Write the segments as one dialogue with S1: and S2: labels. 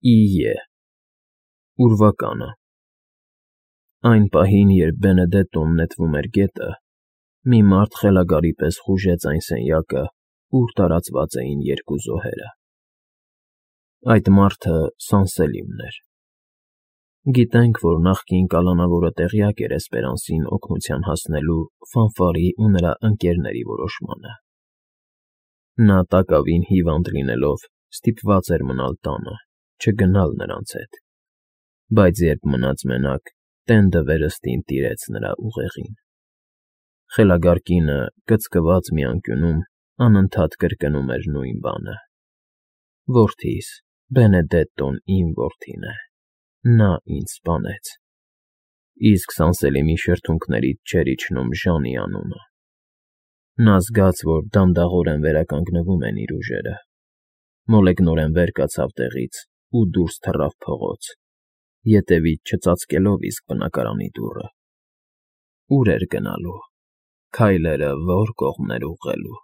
S1: Իե Ուրվականը Այն պահին, երբ Բենեդետտոն նետվում էր գետը, մի մարդ խելագարի պես խուժեց այն սենյակը, ուր տարածված էին երկու զոհերը. այդ մարդը Սանսելիմն էր։ Գիտենք, որ նախկին կալանավորը տեղյակ էր Էսպերանսին օգնության հասնելու Ֆանֆարի ու նրա ընկերների որոշմանը։ Նա տակավին հիվանդ լինելով ստիպված էր մնալ տանը, չգնալ նրանց հետ, բայց երբ մնաց մենակ, տենդը վերստին տիրեց նրա ուղեղին։ Խելագար կինը, կծկված մի անկյունում, անընդհատ կրկնում էր նույն բանը. «Որդիս, Բենեդետտոն իմ որդին է, նա ինձ սպանեց»։ Իսկ Սանսելիմի շրթունքներից չէր իջնում Ժանի անունը։ Նա զգաց, որ դանդաղորեն վերականգնվում են իր ուժերը, մոլեգնորեն վեր կացավ տեղից ու դուրս թռավ փողոց, ետևից չծածկելով իսկ բնակարանի դուռը։ Ուր էր գնալու, քայլերը ո՞ր կողմներ ուղղելու։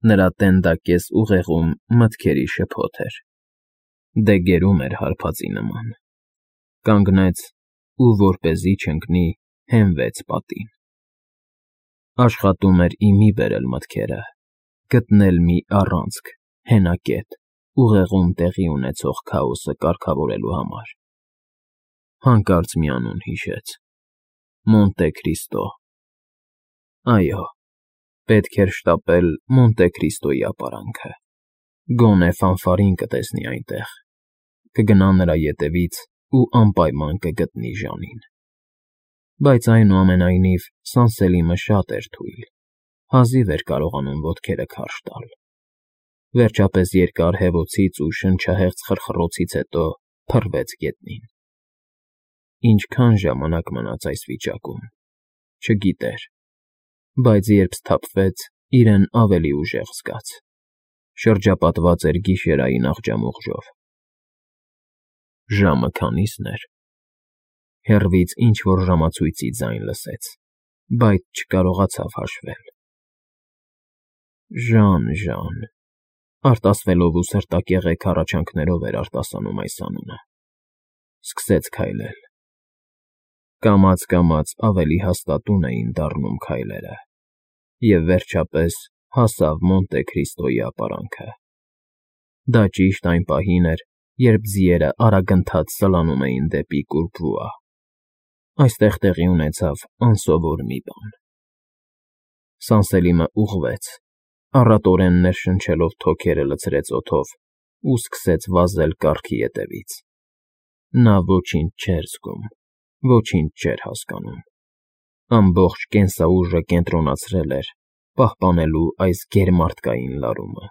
S1: Նրա տենդակես ուղեղում մտքերի շփոթ էր, դե գերում էր հարբածի նման։ Կանգնեց ու, որպեսզի չընկնի, հենվեց պատին։ Աշխատում էր ի մի բերել մտքերը, գտնել մի առանցք, հենակետ, ուղեղում տեղի ունեցող քաոսը կարգավորելու համար։ Հանկարծ մի անուն հիշեց. Մոնտե Քրիստո։ Այո, պետք էր շտապել Մոնտե Քրիստոյի ապարանքը։ Գոնե Ֆանֆարին կտեսնի այնտեղ, կգնա նրա ետևից ու անպայման կգտնի Ժանին։ Բայց այնուամենայնիվ Սանսելիմը շատ էր թույլ, հազիվ էր կարողանում ոտքերը քարշ տալ։ Վերջապես երկար հևոցից ու շնչահեղձ խրխռոցից հետո փռվեց գետնին։ Ինչքան ժամանակ մնաց այս վիճակում, չգիտեր, բայց երբ սթափվեց, իրեն ավելի ուժեղ զգաց։ Շրջապատված էր գիշերային աղջամուղջով։ Ժամը քանի՞սն էր։ Հեռվից ինչ֊որ ժամացույցի ձայն լսեց, բայց չկարողացավ հաշվել։ Ժան, արտասվելով ու սրտակեղեք հառաչանքներով էր արտասանում այս անունը։ Սկսեց քայլել։ Կամաց ավելի հաստատուն էին դառնում քայլերը, և վերջապես հասավ Մոնտե Քրիստոյի ապարանքը։ Դա ճիշտ այն պահին էր, երբ ձիերը արագընթաց սլանում էին դեպի Կուրբվուա։ Այստեղ տեղի ունեցավ անսովոր մի բան։ Սանսելիմը ուղղվեց, առատորեն ներշնչելով թոքերը լցրեց օդով ու սկսեց վազել կառքի ետևից։ Նա ոչինչ չէր զգում, ոչինչ չէր հասկանում։ Ամբողջ կենսաուժը կենտրոնացրել էր պահպանելու այս գերմարդկային լարումը։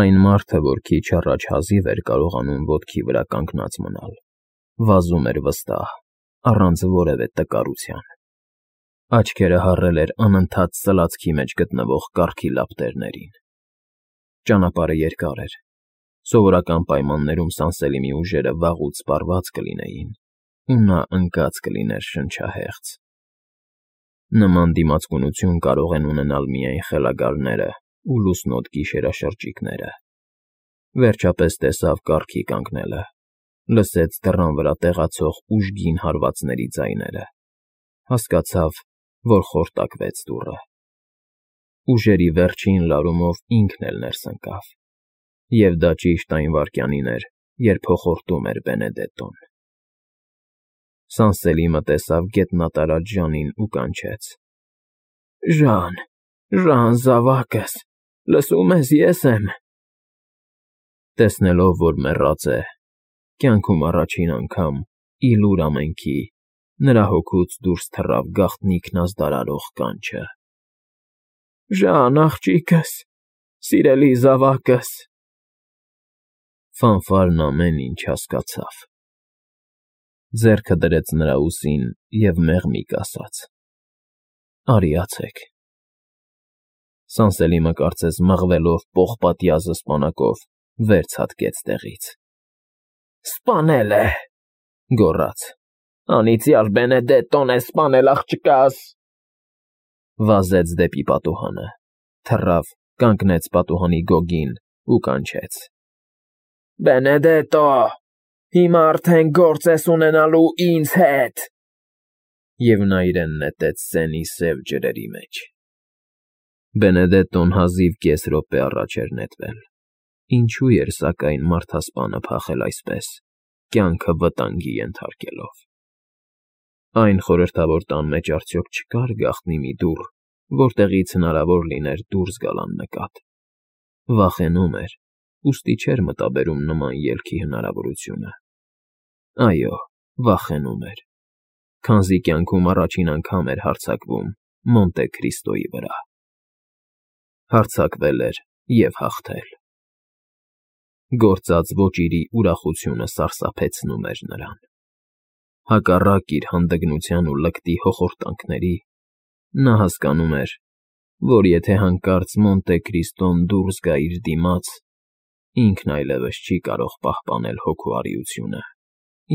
S1: Այն մարդը, որ քիչ առաջ հազիվ էր կարողանում ոտքի վրա կանգնած մնալ, վազում էր վստահ, առանց որևէ տկարության։ Աչքերը հառել էր անընդհատ սլացքի մեջ գտնվող կառքի լապտերներին։ Ճանապարհը երկար էր։ Սովորական պայմաններում Սանսելիմի ուժերը վաղուց սպառված կլինեին, ու նա ընկած կլիներ շնչահեղձ։ Նման դիմացկունություն կարող են ունենալ միայն խելագարները ու լուսնոտ գիշերաշրջիկները։ Վերջապես տեսավ կառքի կանգնելը, լսեց դռան վրա տեղացող ուժգին հարվածների ձայները, հասկացավ, որ խորտակվեց դուռը։ Ուժերի վերջին լարումով ինքն էլ ներս ընկավ, և դա ճիշտ այն վայրկյանին էր, երբ հոխորտում էր Բենեդետտոն։ Սանսելիմը տեսավ գետնատարած Ժանին ու կանչեց. Ժան, զավակս, լսում ես, ես եմ։ Տեսնելով, որ մեռած է, կյանքում առաջին անգամ, ի լուր ամենքի, նրա հոգուց դուրս թռավ գաղտնիքն ազդարարող կանչը. Ժան, աղջիկս, սիրելի զավակս։ Ֆանֆարն ամեն ինչ հասկացավ։ Ձեռքը դրեց նրա ուսին և մեղմիկ ասաց. Արիացեք։ Սանսելիմը կարծես մղվելով պողպատյա զսպանակով վեր ցատկեց տեղից։ Սպանել է, գոռաց։ Անիծյալ Բենեդետտոն է սպանել աղջկաս։ Վազեց դեպի պատուհանը, թռավ, կանգնեց պատուհանի գոգին ու կանչեց. Բենեդետո, հիմա արդեն գործ ես ունենալու ինձ հետ։ Եվ նա իրեն նետեց սենի սև ջրերի մեջ։ Բենեդետոն հազիվ կես րոպե առաջ էր նետվել։ Ինչու էր, սակայն, մարդասպանը փախել այսպես, կյանքը վտանգի ենթարկելով։ Այն խորհրդավոր տան մեջ արդյոք չկար գաղտնի մի դուռ, որտեղից հնարավոր լիներ դուրս գալ աննկատ։ Վախենում էր, ուստի չէր մտաբերում նման ելքի հնարավորությունը։ Այո, վախենում էր, քանզի կյանքում առաջին անգամ էր հարձակվում Մոնտե Քրիստոյի վրա։ Հարձակվել էր և հաղթել։ Գործած ոճիրի ուրախությունը սարսափեցնում էր նրան։ Հակառակ իր հանդգնության ու լկտի հոխորտանքների, նա հասկանում էր, որ եթե հանկարծ Մոնտե Քրիստոն դուրս գա իր դիմաց, ինքն այլևս չի կարող պահպանել հոգու առիությունը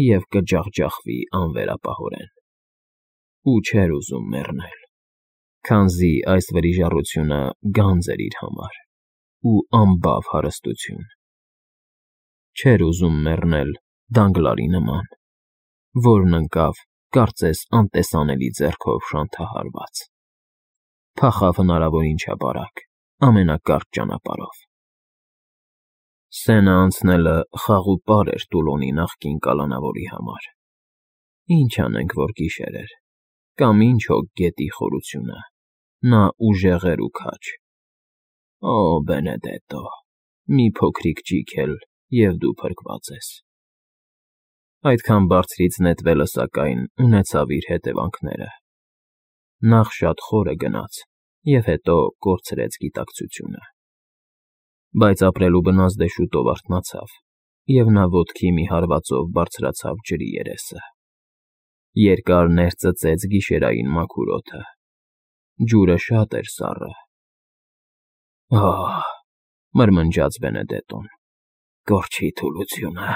S1: և կջախջախվի անվերապահորեն։ Ու չէր ուզում մեռնել, քանզի այս վրիժառությունը գանձ էր իր համար ու անբավ հարստություն։ Չէր ուզում մեռնել Դանգլարի նման, որն ընկավ, կարծես անտեսանելի ձեռքով շանթահարված։ Փախավ հնարավորին չափարակ, ամենակարճ ճանապարհով։ Սենը անցնելը խաղ ու պար էր Տուլոնի նախկին կալանավորի համար։ Ինչ անենք, որ գիշեր էր, կամ ինչ հոգ գետի խորությունը, նա ուժեղ էր ու քաջ։ Օ, Բենեդետո, մի փոքրիկ ջիք էլ, և դու փրկված ես։ Այդքան բարձրից նետվելը, սակայն, ունեցավ իր հետևանքները։ Նախ շատ խորը գնաց և հետո կորցրեց գիտակցությունը։ Բայց ապրելու բնազդը շուտով արթնացավ, և նա ոտքի մի հարվածով բարձրացավ ջրի երեսը։ Երկար ներծծեց գիշերային մաքուր օդը։ Ջուրը շատ էր սառը։ Ահ, մրմնջաց Բենեդետոն, կորչի թուլությունը։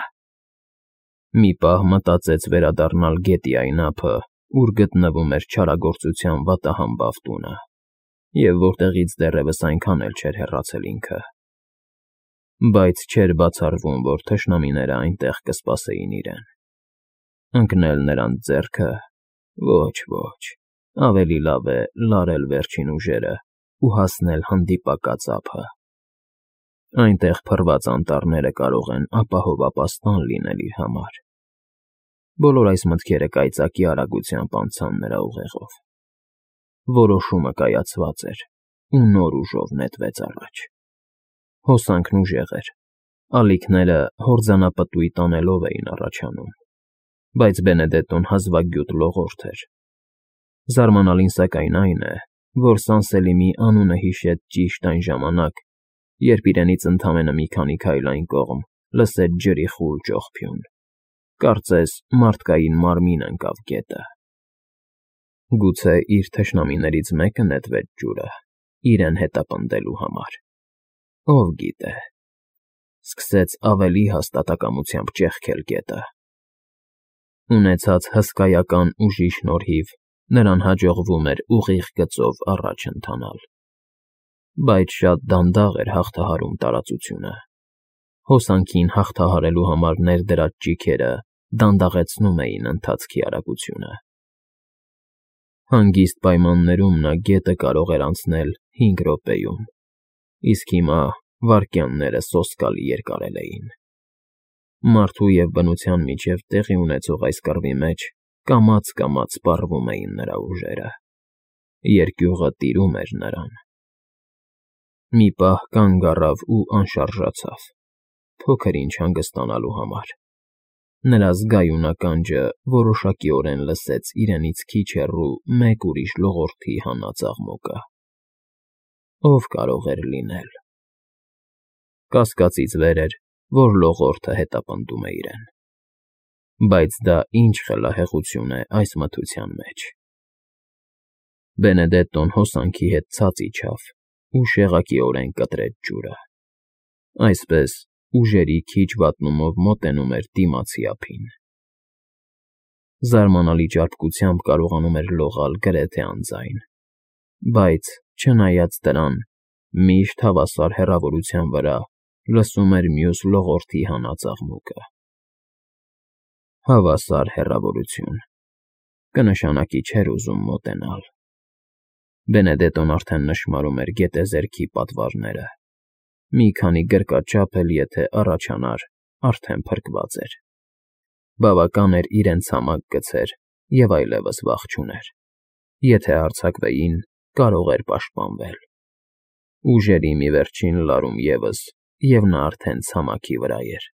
S1: Մի պահ մտածեց վերադառնալ գետի այն ափը, ուր գտնվում էր չարագործության վատահամբավ տունը, և որտեղից դեռևս այնքան էլ չէր հեռացել ինքը։ Բայց չէր բացառվում, որ թշնամիները այնտեղ կսպասեին իրեն։ Ընկնել նրանց ձեռքը, ոչ, ավելի լավ է լարել վերջին ուժերը ու հասնել հանդիպակաց ափը։ Այնտեղ փռված անտառները կարող են ապահով ապաստան լինել իր համար։ Բոլոր այս մտքերը կայծակի արագությամբ անցան նրա ուղեղով։ Որոշումը կայացված էր ու նոր ուժով նետվեց առաջ։ Հոսանքն ուժեղ էր, ալիքները հորձանապտույտ անելով էին առաջանում, բայց Բենեդետոն հազվագյուտ լողորդ էր։ Զարմանալին սակայն այն է, որ Սանսելիմի անունը հիշեց ճիշտ այն ժամանակ, երբ իրենից ընդամենը մի քանի քայլ այն կողմ լսեց ջրի խուլ ճողփյուն, կարծես մարդկային մարմին ընկավ գետը։ Գուցե իր թշնամիներից մեկը նետվեց ջուրը, իրեն հետապնդելու համար։ Ով գիտե։ Սկսեց ավելի հաստատակամությամբ ճեղքել գետը։ Ունեցած հսկայական ուժի շնորհիվ նրան հաջողվում էր ուղիղ գծով առաջ ընթանալ։ Բայց շատ դանդաղ էր հաղթահարում տարածությունը։ Հոսանքին հաղթահարելու համար ներդրած ճիգերը դանդաղեցնում էին ընթացքի արագությունը։ Հանգիստ պայմաններում նա գետը կարող էր անցնել 5 րոպեում, իսկ հիմա վայրկյանները սոսկալի երկարել էին։ Մարդու և բնության միջև տեղի ունեցող այս կռվի մեջ կամաց սպառվում էին նրա ուժերը։ Երկյուղը տիրում էր նրան։ Մի պահ կանգ առավ ու անշարժացավ, փոքր-ինչ հանգստանալու համար։ Նրա զգայուն ականջը որոշակիորեն լսեց իրենից քիչ հեռու մեկ ուրիշ լողորդի հանած աղմուկը։ Ով կարող էր լինել։ Կասկածից վեր էր, որ լողորդը հետապնդում է իրեն։ Բայց դա ինչ խելահեղություն է այս մթության մեջ։ Բենեդետոն հոսանքի հետ ցած իջավ ու շեղակիորեն կտրեց ջուրը։ Այսպես ուժերի քիչ վատնումով մոտենում էր դիմացի ափին։ Զարմանալի ճարպկությամբ կարողանում էր լողալ գրեթե անձայն, բայց, չնայած դրան, միշտ հավասար հեռավորության վրա լսում էր մյուս լողորդի հանած աղմուկը։ Հավասար հեռավորություն, կնշանակի չէր ուզում մոտենալ։ Բենեդետոն արդեն նշմարում էր գետեզերքի պատվարները։ Մի քանի գրկաչափ էլ եթե առաջանար, արդեն փրկված էր։ Բավական էր իրեն ցամաք գցեր և այլևս վախ չուներ։ Եթե հարձակվեին, կարող էր պաշտպանվել։ Ուժերի մի վերջին լարում ևս, և նա արդեն ցամաքի վրա էր։